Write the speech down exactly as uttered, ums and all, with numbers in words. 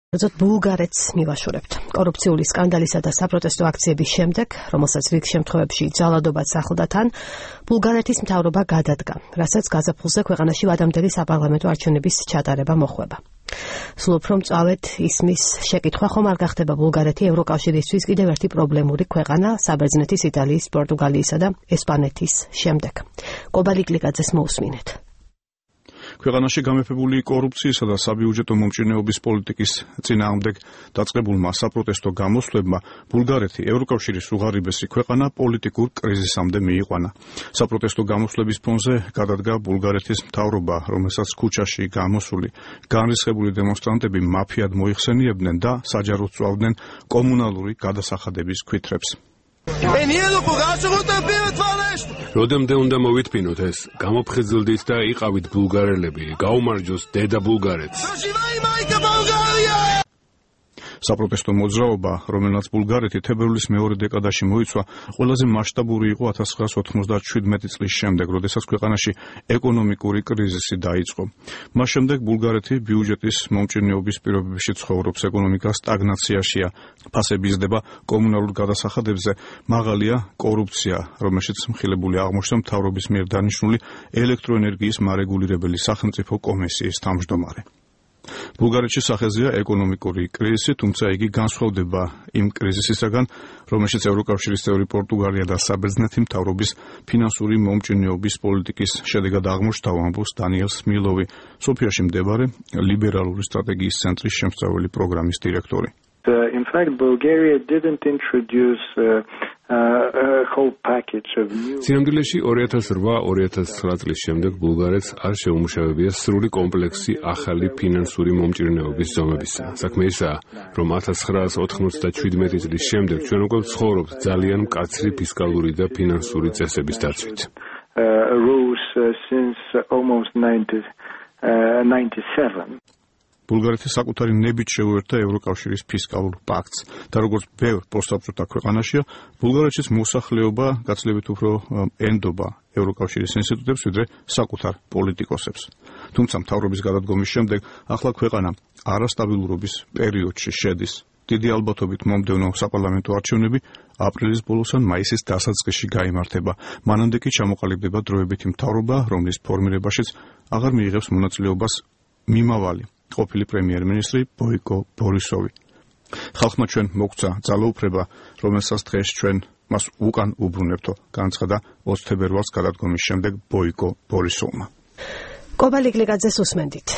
ზოგადად ბულგარეთს მივაშორებთ. კორუფციული სკანდალისა და საპროტესტო აქციების შემდეგ, რომელსაც რიგ შემთხვევებში ძალადობაც ახლდა თან, ბულგარეთის მთავრობა გადადგა, რასაც გაზაფხულზე ქვეყანაში ვადამდელი საპარლამენტო არჩევნების ჩატარება მოჰყვება. სულ უფრო მწვავედ ისმის შეკითხვა ხომ არ გახდება ბულგარეთი ევროკავშირისთვის კიდევ ერთი პრობლემური ქვეყანა საბერძნეთის, იტალიის, პორტუგალიისა და ესპანეთის შემდეგ. კობალიკლიკაძეს მოусმინეთ. ქვეყანაში გამეფებული კორუფციისა და საბიუჯეტო მომჭირნეობის პოლიტიკის წინააღმდეგ დაწყებულმა საპროტესტო გამოსვლებმა ბულგარეთი ევროკავშირის უღარიბესი ქვეყანა პოლიტიკურ კრიზისამდე მიიყვანა. საპროტესტო გამოსვლების ფონზე გადადგა ბულგარეთის მთავრობა, რომელსაც ქუჩაში გამოსული განრისხებული დემონსტრანტები მაფიად მოიხსენიებდნენ და საჯაროდ წვავდნენ კომუნალური გადასახადების ქვითრებს. როდემდე უნდა მოვითმინოთ ეს, გამოფხიზლდით და იყავით ბულგარელები, გაუმარჯოს დედა ბულგარეთს. საპროტესტო მოძრაობა, რომელსაც ბულგარეთი თებერვლის მეორე დეკადაში მოიცვა, ყველაზე მასშტაბური იყო ათას ცხრაას ოთხმოცდაშვიდ წლის შემდეგ, როდესაც ქვეყანაში ეკონომიკური კრიზისი დაიწყო. მას შემდეგ ბულგარეთი ბიუჯეტის მომჭირნეობის პირობებში ცხოვრობს, ეკონომიკა სტაგნაციაშია, ფასები იზრდება კომუნალურ გადასახადებზე, მაღალია კორუფცია, რომელშიც მხილებული აღმოჩნდა მთავრობის მიერ დანიშნული ელექტროენერგიის მარეგულირებელი სახელმწიფო კომისიის თავმჯდომარე. ბულგარეთში სახეზეა ეკონომიკური კრიზისი, თუმცა იგი განსხვავდება იმ კრიზისისაგან, რომელშიც ევროკავშირის წევრი პორტუგალია და საბერძნეთი მთავრობის ფინანსური მომჭირნეობის პოლიტიკის შედეგად აღმოჩნდა, ამბობს დანიელ სმილოვი, სოფიაში მდებარე ლიბერალური სტრატეგიის ცენტრის შემსწავლელი პროგრამის დირექტორი. In fact, Bulgaria didn't introduce uh, uh, a whole package of new. სინამდვილეში ორი ათას რვა ორი ათას ცხრა წლის შემდეგ ბულგარეთს არ შეუმუშავებია სრული კომპლექსი ახალი ფინანსური მომჭირნეობის ზომებისა. საქმე ისაა, რომ ათას ცხრაას ოთხმოცდაშვიდ წლის შემდეგ ჩვენ უკვე ვცხოვრობთ ძალიან მკაცრი ფისკალური და ფინანსური წესების დაცვით. Uh, rules uh, since almost ninety-seven. ბულგარეთი საკუთარი ნებით შეუერთდა ევროკავშირის ფისკალურ პაქტს და როგორც ბევრ პოსტსაბჭოთა ქვეყანაშია, ბულგარეთშიც მოსახლეობა გაცილებით უფრო ენდობა ევროკავშირის ინსტიტუტებს, ვიდრე საკუთარ პოლიტიკოსებს. თუმცა მთავრობის გადადგომის შემდეგ ახლა ქვეყანა არასტაბილურობის პერიოდში შედის. დიდი ალბათობით მომდევნო საპარლამენტო არჩევნები აპრილის ბოლოს ან მაისის დასაწყისში გაიმართება. მანამდე კი ჩამოყალიბდება დროებითი მთავრობა, რომლის ფორმირებაშიც აღარ მიიღებს მონაწილეობას მიმავალი ყოფილი პრემიერ-მინისტრი ბოიკო ბორისოვი. ხალხმა ჩვენ მოგცა ძალაუფლება, რომელსაც დღეს ჩვენ მას უკან უბრუნებთო, განცხადა ოცი თებერვალს გადადგომის შემდეგ ბოიკო ბორისოვმა. კობალიკლიკაძეს უსმენდით.